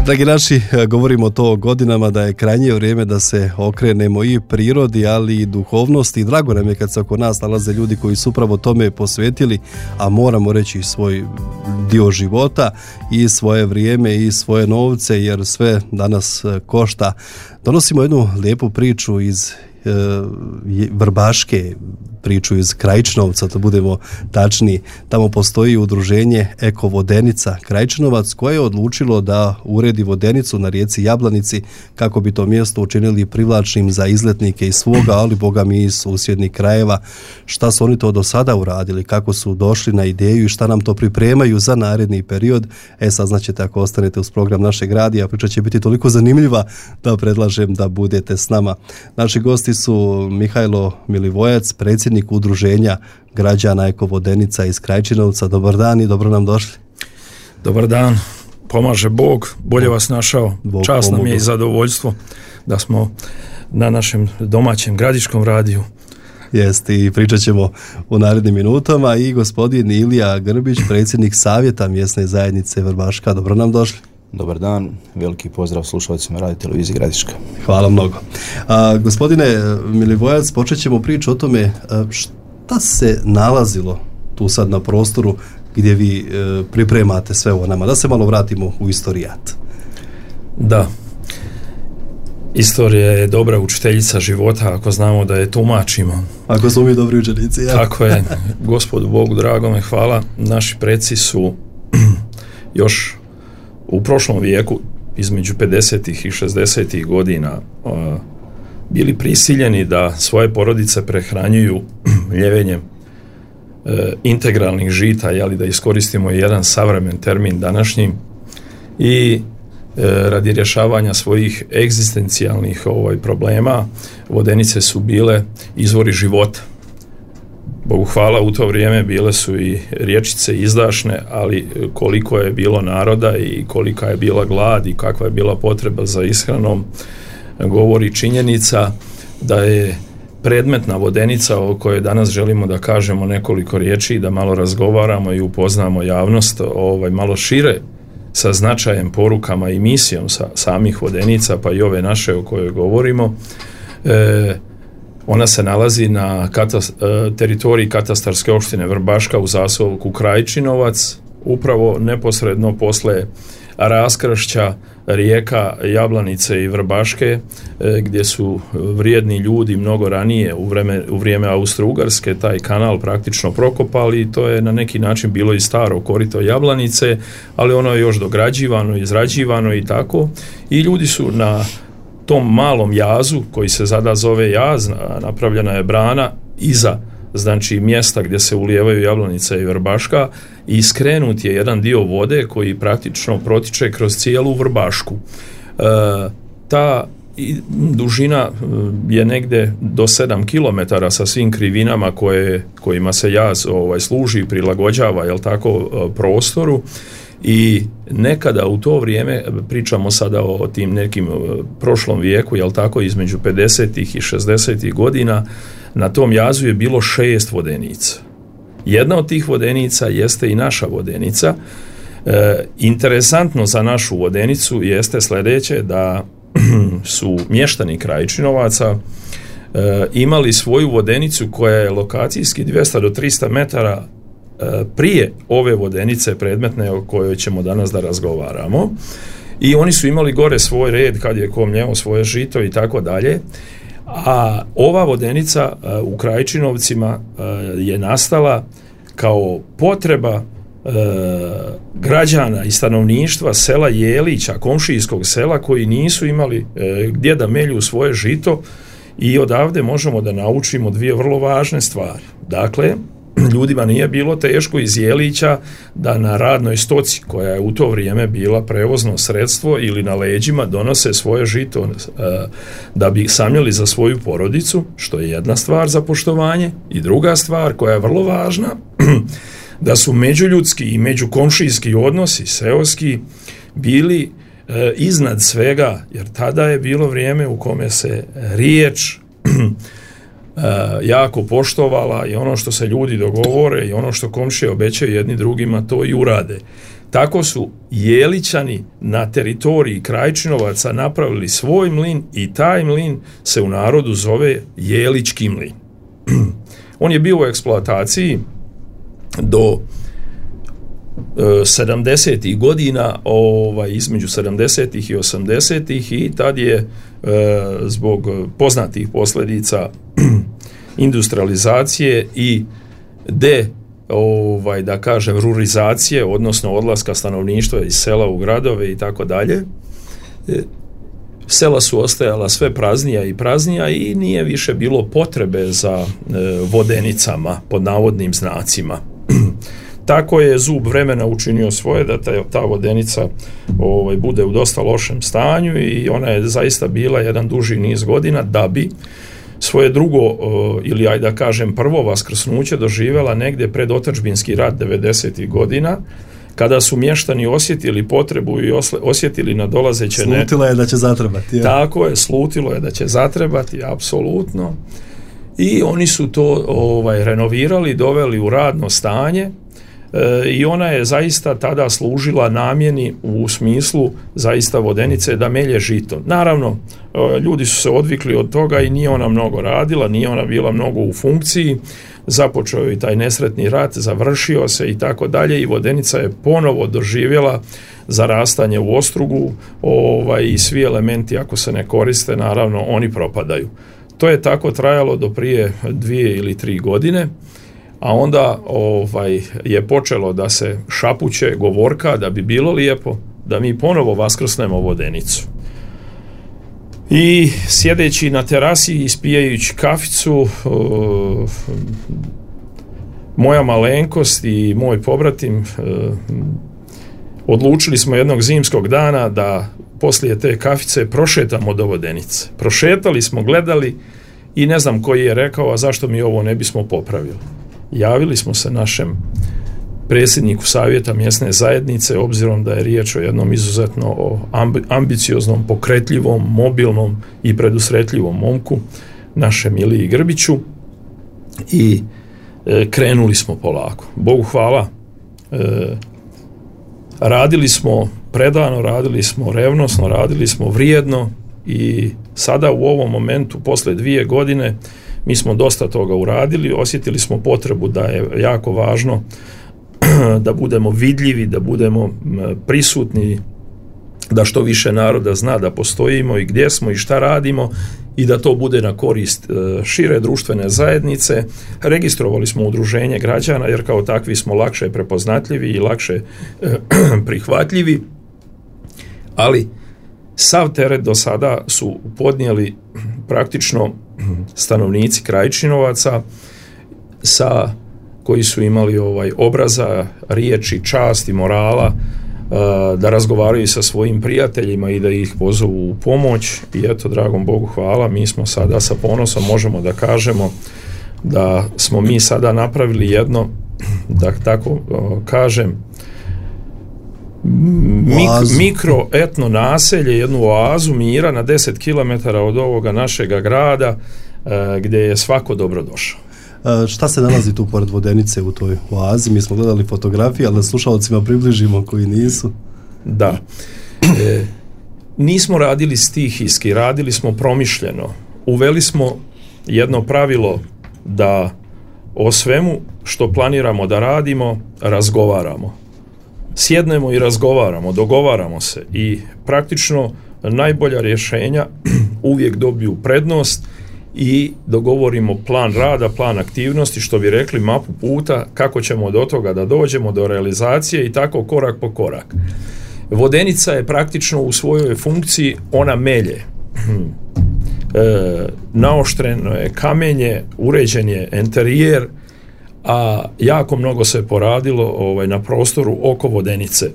Dragi naši, govorimo to godinama da je krajnje vrijeme da se okrenemo i prirodi, ali i duhovnosti. I drago nam je kad se oko nas nalaze ljudi koji su upravo tome posvetili, a moramo reći svoj dio života i svoje vrijeme i svoje novce, jer sve danas košta. Donosimo jednu lijepu priču iz Vrbaške, priču iz Krajčinovca, da budemo tačni. Tamo postoji udruženje Eko Vodenica Krajčinovac koje je odlučilo da uredi vodenicu na rijeci Jablanici kako bi to mjesto učinili privlačnim za izletnike iz svoga, ali boga mi iz susjednih krajeva. Šta su oni to do sada uradili, kako su došli na ideju i šta nam to pripremaju za naredni period, saznaćete ako ostanete uz program našeg radija. Priča će biti toliko zanimljiva da predlažem da budete s nama. Naši gosti su Mihajlo Milivojac, predsjednik udruženja građana Eko Vodenica iz Krajčinovca. Dobar dan i dobro nam došli. Dobar dan, pomaže Bog, bolje vas našao. Bog čast nam pomogao. je i zadovoljstvo da smo na našem domaćem gradiškom radiju. Jeste, i pričat ćemo u narednim minutama. I gospodin Ilija Grbić, predsjednik savjeta mjesne zajednice Vrbaška. Dobro nam došli. Dobar dan, veliki pozdrav slušalcima Radio Televizije Gradiška. Hvala mnogo. Gospodine Milivojac, počet ćemo priču o tome šta se nalazilo tu sad na prostoru gdje vi pripremate sve ovo nama. Da se malo vratimo u istorijat. Da, istorija je dobra učiteljica života ako znamo da je tumačimo. Ako smo mi dobri učenici. Ja. Tako je, Gospodu Bogu dragome hvala. Naši preci su još u prošlom vijeku, između 50. i 60. godina, bili prisiljeni da svoje porodice prehranjuju ljevenjem integralnih žita, da iskoristimo jedan savremen termin današnji, i radi rješavanja svojih egzistencijalnih problema vodenice su bile izvori života. Bogu hvala, u to vrijeme bile su i riječice izdašne, ali koliko je bilo naroda i kolika je bila glad i kakva je bila potreba za ishranom, govori činjenica da je predmetna vodenica o kojoj danas želimo da kažemo nekoliko riječi, da malo razgovaramo i upoznamo javnost malo šire sa značajem, porukama i misijom samih vodenica, pa i ove naše o kojoj govorimo. Ona se nalazi na teritoriji katastarske opštine Vrbaška u zaseoku Krajčinovac, upravo neposredno posle raskršća rijeka Jablanice i Vrbaške, gdje su vrijedni ljudi mnogo ranije u vrijeme Austro-Ugarske taj kanal praktično prokopali, i to je na neki način bilo i staro korito Jablanice, ali ono je još dograđivano, izrađivano i tako, i ljudi su na tom malom jazu koji se sada zove jaz, napravljena je brana iza, znači mjesta gdje se ulijevaju Jablanica i Vrbaška, i skrenut je jedan dio vode koji praktično protiče kroz cijelu Vrbašku. Ta dužina je negdje do 7 km sa svim krivinama kojima se jaz služi i prilagođava prostoru. I nekada u to vrijeme, pričamo sada o tim nekim prošlom vijeku, između 50. i 60. godina, na tom jazu je bilo 6 vodenica. Jedna od tih vodenica jeste i naša vodenica. Interesantno za našu vodenicu jeste sljedeće, da su mještani Krajčinovaca imali svoju vodenicu koja je lokacijski 200 do 300 metara prije ove vodenice predmetne o kojoj ćemo danas da razgovaramo, i oni su imali gore svoj red kad je ko mljeo svoje žito i tako dalje. A ova vodenica u Krajčinovcima je nastala kao potreba građana i stanovništva sela Jelića, komšijskog sela, koji nisu imali gdje da melju svoje žito, i odavde možemo da naučimo dvije vrlo važne stvari. Dakle, ljudima nije bilo teško iz Jelića da na radnoj stoci, koja je u to vrijeme bila prevozno sredstvo, ili na leđima donose svoje žito da bi samljeli za svoju porodicu, što je jedna stvar za poštovanje, i druga stvar koja je vrlo važna, da su međuljudski i međukomšijski odnosi seoski bili iznad svega, jer tada je bilo vrijeme u kome se riječ jako poštovala, i ono što se ljudi dogovore i ono što komšije obećaju jedni drugima, to i urade. tako su Jelićani na teritoriji Krajčinovaca napravili svoj mlin i taj mlin se u narodu zove Jelički mlin. On je bio u eksploataciji do 70. godina, između 70. i 80. i tad je zbog poznatih posljedica industrializacije i da kažem rurizacije, odnosno odlaska stanovništva iz sela u gradove i tako dalje, sela su ostajala sve praznija i praznija i nije više bilo potrebe za vodenicama pod navodnim znacima. Tako je zub vremena učinio svoje da ta vodenica bude u dosta lošem stanju i ona je zaista bila jedan duži niz godina da bi svoje drugo ili ajde da kažem prvo vaskrsnuće doživjela negdje pred otadžbinski rat 90. godina, kada su mještani osjetili potrebu i osjetili nadolazeće... Slutilo je da će zatrebati. Ja. Tako je, slutilo je da će zatrebati, apsolutno. I oni su to renovirali, doveli u radno stanje i ona je zaista tada služila namjeni u smislu zaista vodenice da melje žito. Naravno, ljudi su se odvikli od toga i nije ona mnogo radila, nije ona bila mnogo u funkciji, započeo je taj nesretni rat, završio se i tako dalje i vodenica je ponovo doživjela zarastanje u ostrugu i svi elementi ako se ne koriste, naravno oni propadaju. To je tako trajalo do prije 2 ili 3 godine, a onda je počelo da se šapuće govorka da bi bilo lijepo da mi ponovo vaskrsnemo vodenicu. I sjedeći na terasi i ispijajući kaficu, moja malenkost i moj pobratim odlučili smo jednog zimskog dana da poslije te kafice prošetamo do vodenice. Prošetali smo, gledali i ne znam koji je rekao, a zašto mi ovo ne bismo popravili. Javili smo se našem predsjedniku savjeta mjesne zajednice, obzirom da je riječ o jednom izuzetno ambicioznom, pokretljivom, mobilnom i predusretljivom momku, našem Iliji Grbiću, i krenuli smo polako. Bogu hvala, radili smo predano, radili smo revnosno, radili smo vrijedno i sada u ovom momentu, posle 2 godine, mi smo dosta toga uradili, osjetili smo potrebu da je jako važno da budemo vidljivi, da budemo prisutni, da što više naroda zna da postojimo i gdje smo i šta radimo i da to bude na korist šire društvene zajednice. Registrovali smo udruženje građana jer kao takvi smo lakše prepoznatljivi i lakše prihvatljivi, ali sav teret do sada su podnijeli praktično stanovnici Krajčinovaca koji su imali obraza, riječi, čast i morala da razgovaraju sa svojim prijateljima i da ih pozovu u pomoć. I eto, dragom Bogu hvala, mi smo sada sa ponosom možemo da kažemo da smo mi sada napravili jedno, da tako kažem, mikro etno naselje, jednu oazu mira na 10 km od ovoga našega grada gdje je svako dobrodošao. Šta se nalazi tu pored vodenice u toj oazi? Mi smo gledali fotografije, ali da slušalcima približimo koji nisu. Da. Nismo radili stihijski, radili smo promišljeno. Uveli smo jedno pravilo da o svemu što planiramo da radimo, razgovaramo. Sjednemo i razgovaramo, dogovaramo se i praktično najbolja rješenja uvijek dobiju prednost i dogovorimo plan rada, plan aktivnosti, što bi rekli mapu puta, kako ćemo do toga da dođemo do realizacije i tako korak po korak. Vodenica je praktično u svojoj funkciji, ona melje. Naoštreno je kamenje, uređen je enterijer, a jako mnogo se poradilo na prostoru oko vodenice.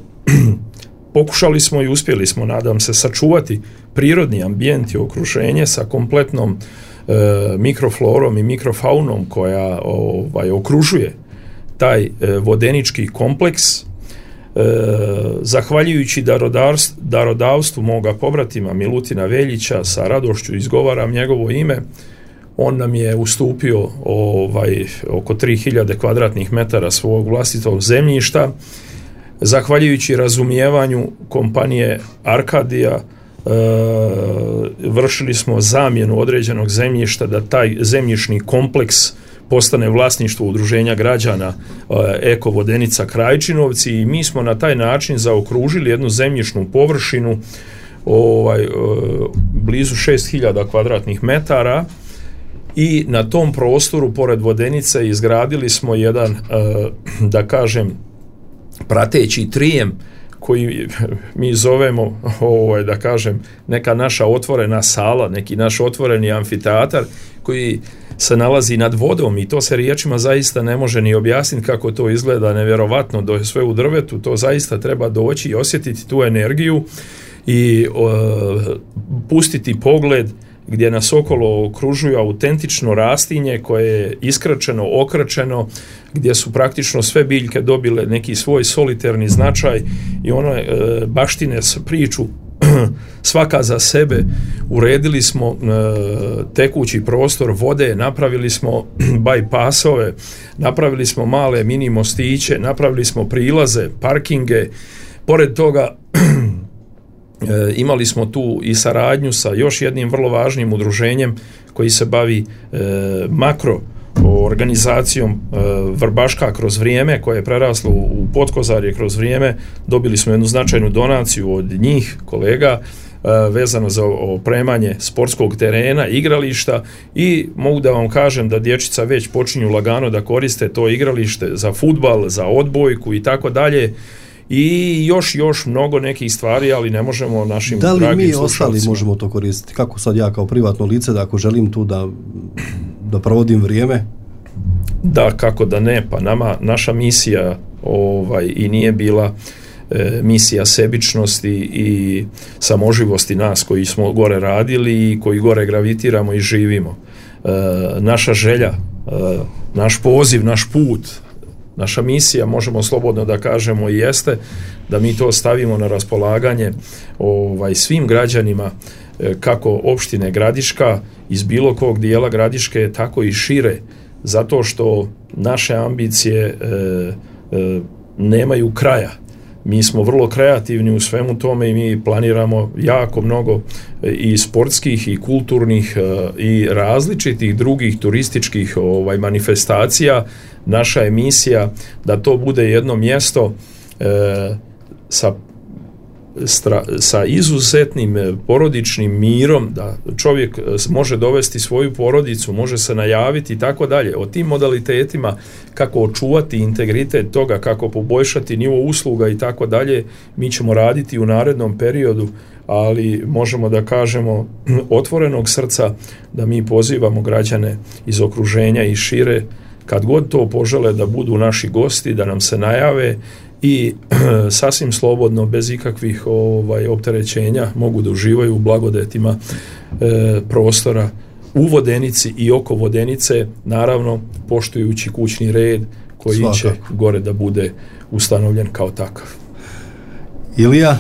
Pokušali smo i uspjeli smo, nadam se, sačuvati prirodni ambijent i okruženje sa kompletnom mikroflorom i mikrofaunom koja okružuje taj vodenički kompleks. Zahvaljujući darodavstvu moga pobratima Milutina Veljića, sa radošću izgovaram njegovo ime, on nam je ustupio oko 3000 kvadratnih metara svog vlastitog zemljišta. zahvaljujući razumijevanju kompanije Arkadija, vršili smo zamjenu određenog zemljišta da taj zemljišni kompleks postane vlasništvo udruženja građana Eko Vodenica Krajčinovci i mi smo na taj način zaokružili jednu zemljišnu površinu blizu 6000 kvadratnih metara i na tom prostoru pored Vodenice izgradili smo jedan, da kažem, prateći trijem koji mi zovemo, da kažem, neka naša otvorena sala, neki naš otvoreni amfiteatar koji se nalazi nad vodom i to se riječima zaista ne može ni objasniti kako to izgleda, nevjerovatno, do sve u drvetu, to zaista treba doći i osjetiti tu energiju i pustiti pogled gdje nas okolo okružuju autentično rastinje koje je iskrčeno, okračeno, gdje su praktično sve biljke dobile neki svoj solitarni značaj i one baštine priču svaka za sebe. Uredili smo tekući prostor vode, napravili smo bajpasove, napravili smo male mini mostiće, napravili smo prilaze, parkinge. Pored toga imali smo tu i saradnju sa još jednim vrlo važnim udruženjem koji se bavi makro organizacijom Vrbaška kroz vrijeme, koje je preraslo u Potkozarje kroz vrijeme. Dobili smo jednu značajnu donaciju od njih, kolega, vezano za opremanje sportskog terena, igrališta i mogu da vam kažem da dječica već počinju lagano da koriste to igralište za fudbal, za odbojku i tako dalje. I još mnogo nekih stvari, ali ne možemo našim dragim slušalcima. Da li mi ostali možemo to koristiti? Kako sad ja kao privatno lice, da ako želim tu da provodim vrijeme? Da, kako da ne, pa naša misija i nije bila misija sebičnosti i samoživosti nas koji smo gore radili i koji gore gravitiramo i živimo. Naša želja, naš poziv, naš put, naša misija, možemo slobodno da kažemo, i jeste da mi to stavimo na raspolaganje svim građanima kako opštine Gradiška, iz bilo kog dijela Gradiške, tako i šire, zato što naše ambicije nemaju kraja. Mi smo vrlo kreativni u svemu tome i mi planiramo jako mnogo i sportskih i kulturnih i različitih drugih turističkih manifestacija. Naša je misija da to bude jedno mjesto sa izuzetnim porodičnim mirom, da čovjek može dovesti svoju porodicu, može se najaviti i tako dalje. O tim modalitetima, kako očuvati integritet toga, kako poboljšati nivo usluga i tako dalje, mi ćemo raditi u narednom periodu, ali možemo da kažemo otvorenog srca da mi pozivamo građane iz okruženja i šire, kad god to požele, da budu naši gosti, da nam se najave i sasvim slobodno, bez ikakvih opterećenja, mogu da uživaju u blagodetima prostora u Vodenici i oko Vodenice, naravno poštujući kućni red koji će gore da bude ustanovljen kao takav. Ilija,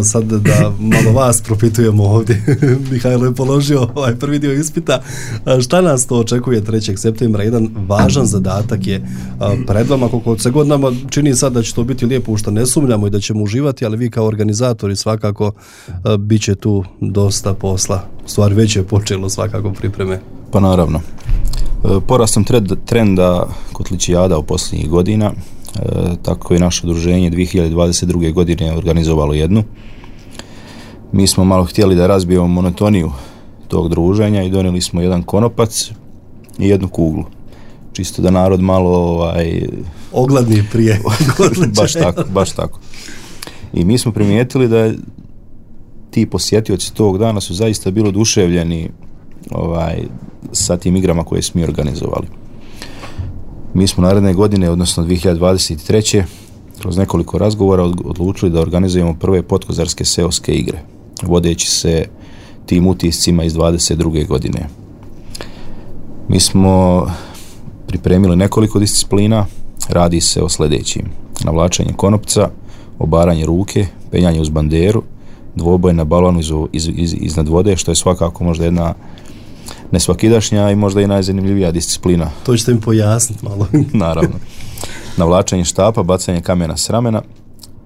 sad da malo vas propitujemo ovdje. Mihajlo je položio prvi dio ispita. Šta nas to očekuje 3. septembra? Jedan važan zadatak je pred vama, koliko se god nama čini sad da će to biti lijepo, u što ne sumnjamo i da ćemo uživati, ali vi kao organizatori svakako bit će tu dosta posla. U stvari već je počelo svakako pripreme. Pa naravno. Porastom trenda kotličijada u posljednjih godina, tako je naše udruženje 2022. godine organizovalo jednu. Mi smo malo htjeli da razbijemo monotoniju tog druženja i donijeli smo jedan konopac i jednu kuglu. Čisto da narod malo ogladni prije. baš tako. I mi smo primijetili da ti posjetioci tog dana su zaista bili oduševljeni sa tim igrama koje smo mi organizovali. Mi smo naredne godine, odnosno 2023. kroz nekoliko razgovora odlučili da organizujemo prve potkozarske seoske igre, vodeći se tim utiscima iz 22. godine. Mi smo pripremili nekoliko disciplina, radi se o sljedećim: navlačenje konopca, obaranje ruke, penjanje uz banderu, dvoboj na balonu iznad vode, što je svakako možda jedna nesvakidašnja i možda i najzanimljivija disciplina. To ćete mi pojasniti malo. Naravno. Navlačenje štapa, bacanje kamena s ramena,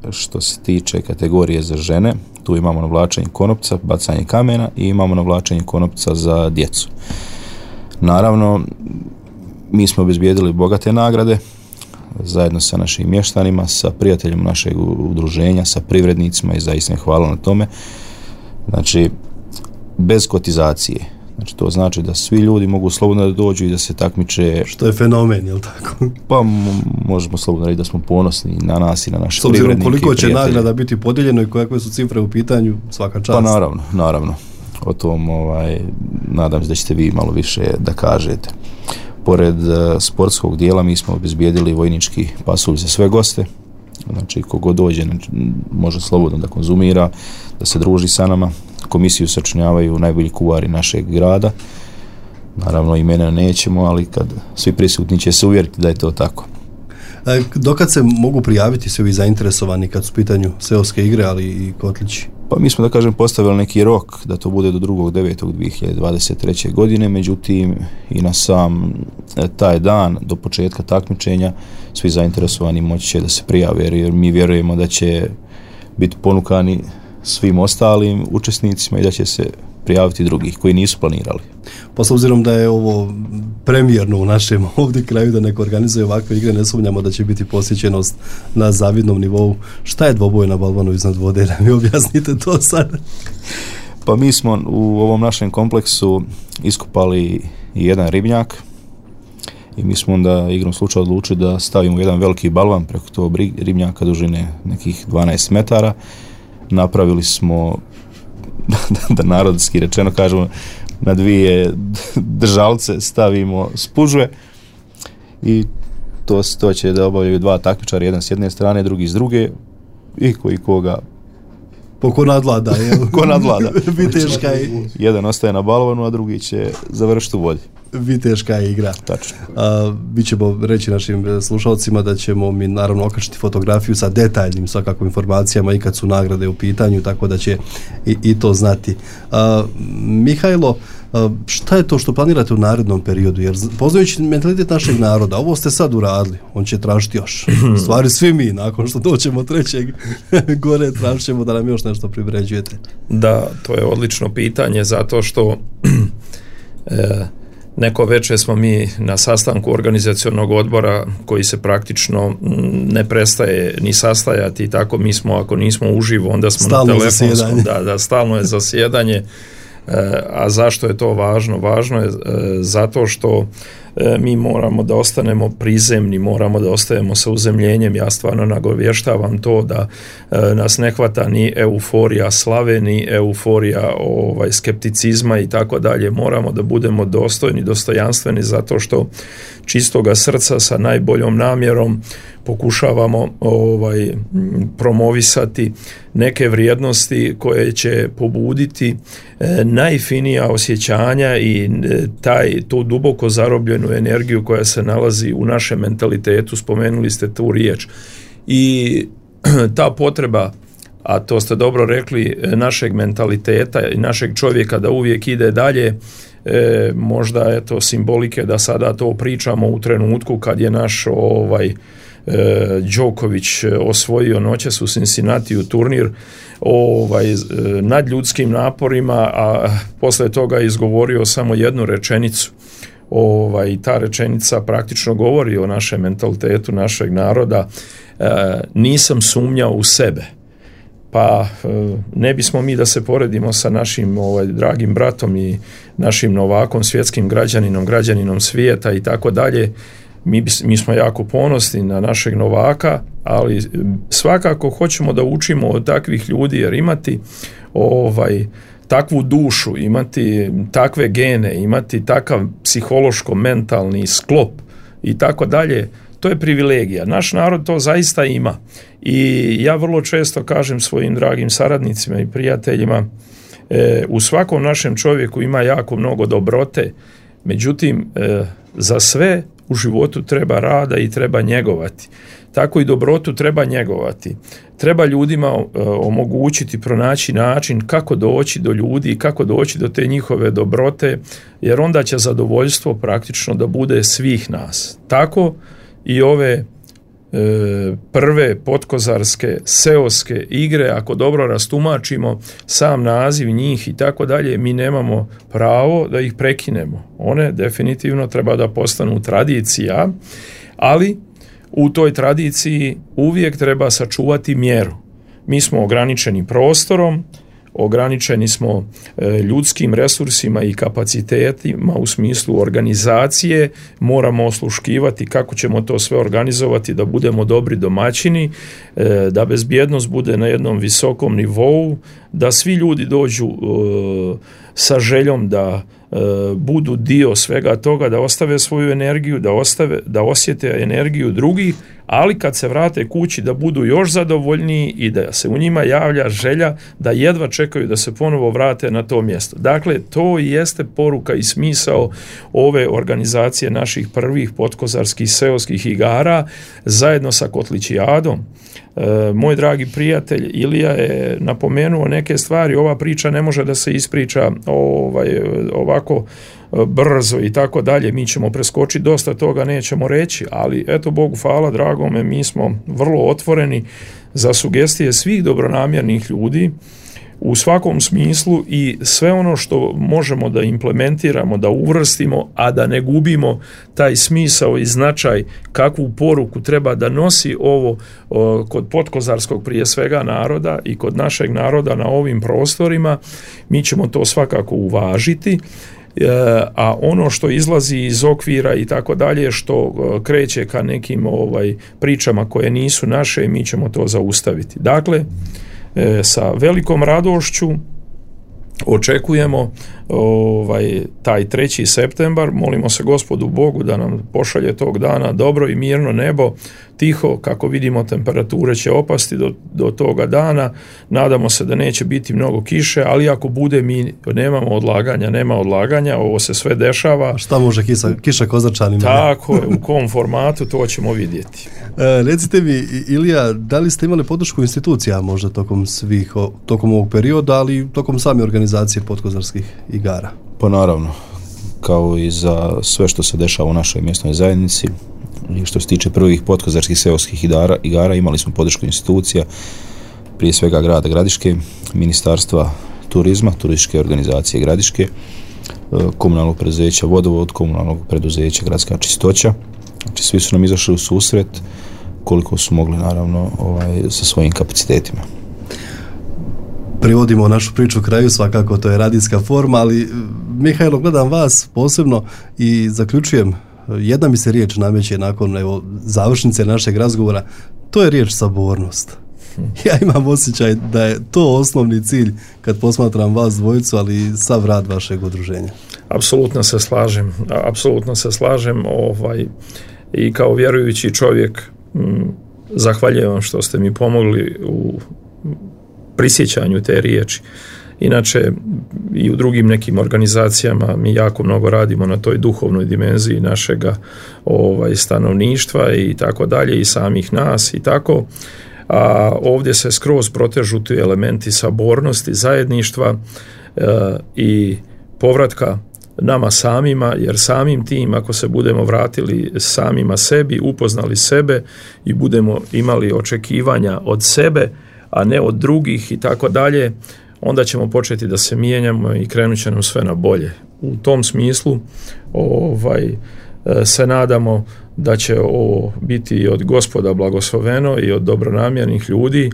što se tiče kategorije za žene, tu imamo navlačenje konopca, bacanje kamena i imamo navlačenje konopca za djecu. Naravno, mi smo obezbijedili bogate nagrade zajedno sa našim mještanima, sa prijateljima našeg udruženja, sa privrednicima i zaista im hvala na tome. Znači, bez kotizacije. Znači, to znači da svi ljudi mogu slobodno da dođu i da se takmiče. Što je fenomen, je li tako? Pa možemo slobodno reći da smo ponosni na nas i na naše privrednike. S obzirom koliko će nagrada biti podijeljeno i kakve su cifre u pitanju, svaka čast. Pa naravno. O tom nadam se da ćete vi malo više da kažete. Pored sportskog dijela mi smo obezbijedili vojnički pasulj za sve goste. Znači, kogod dođe može slobodno da konzumira, da se druži sa nama. Komisiju sačinjavaju najbolji kuvari našeg grada. Naravno, imena nećemo, ali kad svi prisutni će se uvjeriti da je to tako. Dokad se mogu prijaviti svi ovi zainteresovani kad su u pitanju seoske igre, ali i kotlići? Pa mi smo, da kažem, postavili neki rok da to bude do 2.9.2023. godine, međutim i na sam taj dan do početka takmičenja svi zainteresovani moći će da se prijave, jer mi vjerujemo da će biti ponukani svim ostalim učesnicima i da će se prijaviti drugih koji nisu planirali. Pa s obzirom da je ovo premijerno u našem ovdje kraju da neko organizuje ovakve igre, ne sumnjamo da će biti posjećenost na zavidnom nivou. Šta je dvoboj na balvanu iznad vode? Da mi objasnite to sad. Pa mi smo u ovom našem kompleksu iskopali jedan ribnjak i mi smo onda igrom slučaja odlučili da stavimo jedan veliki balvan preko tog ribnjaka dužine nekih 12 metara. Napravili smo, da narodski rečeno kažemo, na dvije držalce stavimo spužve i to će da obavljaju dva takmičara, jedan s jedne strane, drugi s druge, i koji koga ko nadlada, ko nadlada. Viteška je. Jedan ostaje na balvanu, a drugi će završiti u vodi. Viteška je igra. Tačno. Mi ćemo reći našim slušalcima da ćemo mi naravno okačiti fotografiju sa detaljnim svakako informacijama i kad su nagrade u pitanju, tako da će i to znati. Mihajlo, šta je to što planirate u narednom periodu? Jer poznajući mentalitet našeg naroda, ovo ste sad uradili, on će tražiti još. Stvari svi mi, nakon što doćemo trećeg gore, tražit ćemo da nam još nešto privređujete. Da, to je odlično pitanje, zato što neko večer smo mi na sastanku organizacionog odbora koji se praktično ne prestaje ni sastajati, tako mi smo, ako nismo uživo, onda smo stalno na telefonskom, stalno je zasjedanje. A zašto je to važno? Važno je zato što mi moramo da ostanemo prizemni, moramo da ostajemo sa uzemljenjem. Ja stvarno nagovještavam to da nas ne hvata ni euforija slave, ni euforija skepticizma i tako dalje. Moramo da budemo dostojni, dostojanstveni, zato što čistoga srca sa najboljom namjerom pokušavamo promovisati neke vrijednosti koje će pobuditi najfinija osjećanja i tu duboko zarobljenu energiju koja se nalazi u našem mentalitetu. Spomenuli ste tu riječ. I ta potreba, a to ste dobro rekli, našeg mentaliteta i našeg čovjeka da uvijek ide dalje, možda eto simbolike da sada to pričamo u trenutku kad je naš Đoković osvojio noćas u Cincinnatiju turnir nad ljudskim naporima, a poslije toga je izgovorio samo jednu rečenicu. Ta rečenica praktično govori o našem mentalitetu našeg naroda. Nisam sumnjao u sebe. Pa ne bismo mi da se poredimo sa našim dragim bratom i našim novakom, svjetskim građaninom svijeta i tako dalje. Mi smo jako ponosni na našeg novaka, ali svakako hoćemo da učimo od takvih ljudi, jer imati takvu dušu, imati takve gene, imati takav psihološko-mentalni sklop i tako dalje, to je privilegija. Naš narod to zaista ima. I ja vrlo često kažem svojim dragim saradnicima i prijateljima, u svakom našem čovjeku ima jako mnogo dobrote, međutim, za sve u životu treba rada i treba njegovati. Tako i dobrotu treba njegovati. Treba ljudima omogućiti, pronaći način kako doći do ljudi, kako doći do te njihove dobrote, jer onda će zadovoljstvo praktično da bude svih nas. Tako i ove prve potkozarske seoske igre, ako dobro rastumačimo sam naziv njih i tako dalje, mi nemamo pravo da ih prekinemo. One definitivno treba da postanu tradicija, ali u toj tradiciji uvijek treba sačuvati mjeru. Mi smo ograničeni prostorom, ograničeni smo ljudskim resursima i kapacitetima u smislu organizacije, moramo osluškivati kako ćemo to sve organizovati da budemo dobri domaćini, da bezbjednost bude na jednom visokom nivou, da svi ljudi dođu sa željom da budu dio svega toga, da ostave svoju energiju, da osjete energiju drugih, ali kad se vrate kući da budu još zadovoljniji i da se u njima javlja želja da jedva čekaju da se ponovo vrate na to mjesto. Dakle, to jeste poruka i smisao ove organizacije naših prvih potkozarskih seoskih igara zajedno sa Kotličijadom. Moj dragi prijatelj Ilija je napomenuo neke stvari, ova priča ne može da se ispriča ovako brzo i tako dalje, mi ćemo preskočiti dosta toga, nećemo reći, ali eto Bogu hvala, dragome, mi smo vrlo otvoreni za sugestije svih dobronamjernih ljudi u svakom smislu i sve ono što možemo da implementiramo, da uvrstimo, a da ne gubimo taj smisao i značaj kakvu poruku treba da nosi ovo kod potkozarskog prije svega naroda i kod našeg naroda na ovim prostorima, mi ćemo to svakako uvažiti. A ono što izlazi iz okvira i tako dalje, što kreće ka nekim pričama koje nisu naše, mi ćemo to zaustaviti. Dakle, sa velikom radošću očekujemo taj 3. septembar, molimo se Gospodu Bogu da nam pošalje tog dana dobro i mirno nebo, tiho, kako vidimo temperature će opasti do toga dana, nadamo se da neće biti mnogo kiše, ali ako bude mi nema odlaganja, ovo se sve dešava. Šta može kiša Kozarčanima? Tako je, u kom formatu, to ćemo vidjeti. Recite mi, Ilija, da li ste imali podršku institucija možda tokom ovog perioda, ali tokom same organizacije potkozarskih igara? Pa naravno, kao i za sve što se dešava u našoj mjesnoj zajednici i što se tiče prvih potkozarskih seoskih igara, imali smo podršku institucija, prije svega grada Gradiške, Ministarstva turizma, turističke organizacije Gradiške, komunalnog preduzeća Vodovod, komunalnog preduzeća Gradska čistoća. Znači svi su nam izašli u susret koliko su mogli, naravno, sa svojim kapacitetima. Privodimo našu priču kraju, svakako to je radijska forma, ali Mihajlo, gledam vas posebno i zaključujem, jedna mi se riječ nameće nakon završnice našeg razgovora, to je riječ sabornost. Ja imam osjećaj da je to osnovni cilj kad posmatram vas dvojicu, ali sav rad vašeg udruženja. Apsolutno se slažem i kao vjerujući čovjek zahvaljujem vam što ste mi pomogli u prisjećanju te riječi. Inače i u drugim nekim organizacijama mi jako mnogo radimo na toj duhovnoj dimenziji našega stanovništva i tako dalje i samih nas i tako. A ovdje se skroz protežu ti elementi sabornosti, zajedništva i povratka nama samima, jer samim tim ako se budemo vratili samima sebi, upoznali sebe i budemo imali očekivanja od sebe, a ne od drugih i tako dalje, onda ćemo početi da se mijenjamo i krenut će nam sve na bolje. U tom smislu se nadamo da će ovo biti i od Gospoda blagosloveno i od dobronamjernih ljudi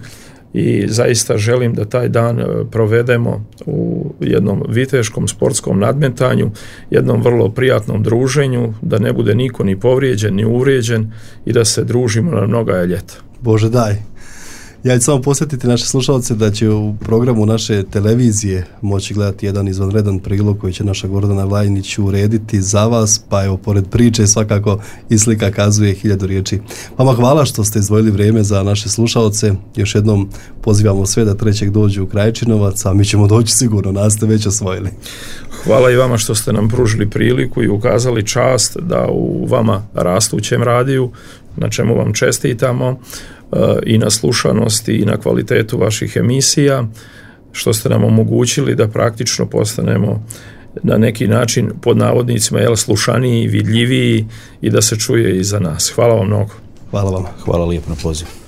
i zaista želim da taj dan provedemo u jednom viteškom sportskom nadmetanju, jednom vrlo prijatnom druženju, da ne bude niko ni povrijeđen ni uvrijeđen i da se družimo na mnoga ljeta. Bože daj. Ja ću samo posjetiti naše slušalce da će u programu naše televizije moći gledati jedan izvanredan prilog koji će naša Gordana Vlajnić urediti za vas, pa evo, pored priče svakako i slika kazuje 1000 riječi. Vama hvala što ste izdvojili vrijeme za naše slušalce. Još jednom pozivamo sve da 3. dođu u Krajčinovac, a mi ćemo doći sigurno, nas ste već osvojili. Hvala i vama što ste nam pružili priliku i ukazali čast da u vama rastućem radiju, na čemu vam čestitamo, i na slušanosti i na kvalitetu vaših emisija, što ste nam omogućili da praktično postanemo na neki način pod navodnicima slušaniji, vidljiviji i da se čuje i za nas. Hvala vam mnogo. Hvala vam. Hvala lijepo na pozivu.